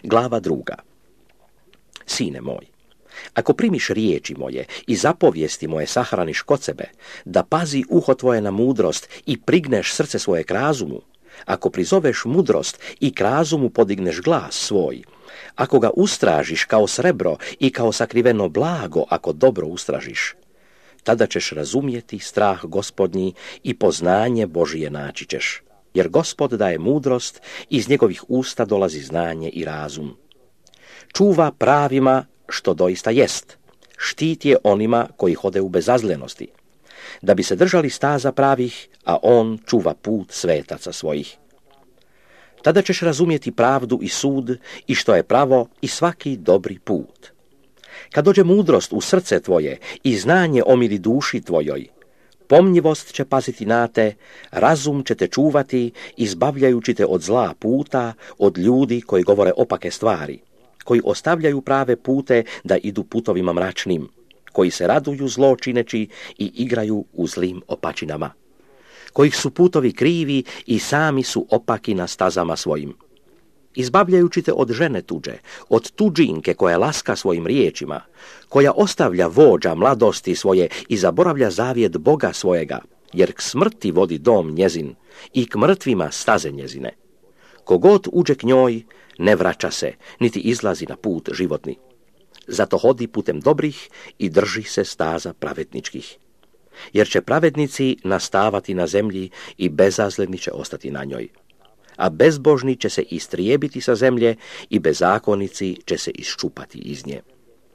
Glava 2. Sine moj, ako primiš riječi moje i zapovijesti moje sahraniš kod sebe, da pazi uho tvoje na mudrost i prigneš srce svoje k razumu, ako prizoveš mudrost i k razumu podigneš glas svoj, ako ga ustražiš kao srebro i kao sakriveno blago, ako dobro ustražiš, tada ćeš razumjeti strah Gospodnji i poznanje Božije naći ćeš. Jer Gospod daje mudrost, iz njegovih usta dolazi znanje i razum. Čuva pravima što doista jest, štiti je onima koji hode u bezazlenosti, da bi se držali staza pravih, a on čuva put svetaca svojih. Tada ćeš razumjeti pravdu i sud i što je pravo i svaki dobri put. Kad dođe mudrost u srce tvoje i znanje omili duši tvojoj, pomnjivost će paziti na te, razum će te čuvati, izbavljajući te od zla puta, od ljudi koji govore opake stvari, koji ostavljaju prave pute da idu putovima mračnim, koji se raduju zlo čineći i igraju u zlim opačinama, kojih su putovi krivi i sami su opaki na stazama svojim. Izbavljajući te od žene tuđe, od tuđinke koja laska svojim riječima, koja ostavlja vođa mladosti svoje i zaboravlja zavjet Boga svojega, jer k smrti vodi dom njezin i k mrtvima staze njezine. Kogod uđe k njoj, ne vraća se, niti izlazi na put životni. Zato hodi putem dobrih i drži se staza pravedničkih. Jer će pravednici nastavati na zemlji i bezazleni će ostati na njoj. A bezbožni će se istrijebiti sa zemlje i bezakonici će se iščupati iz nje.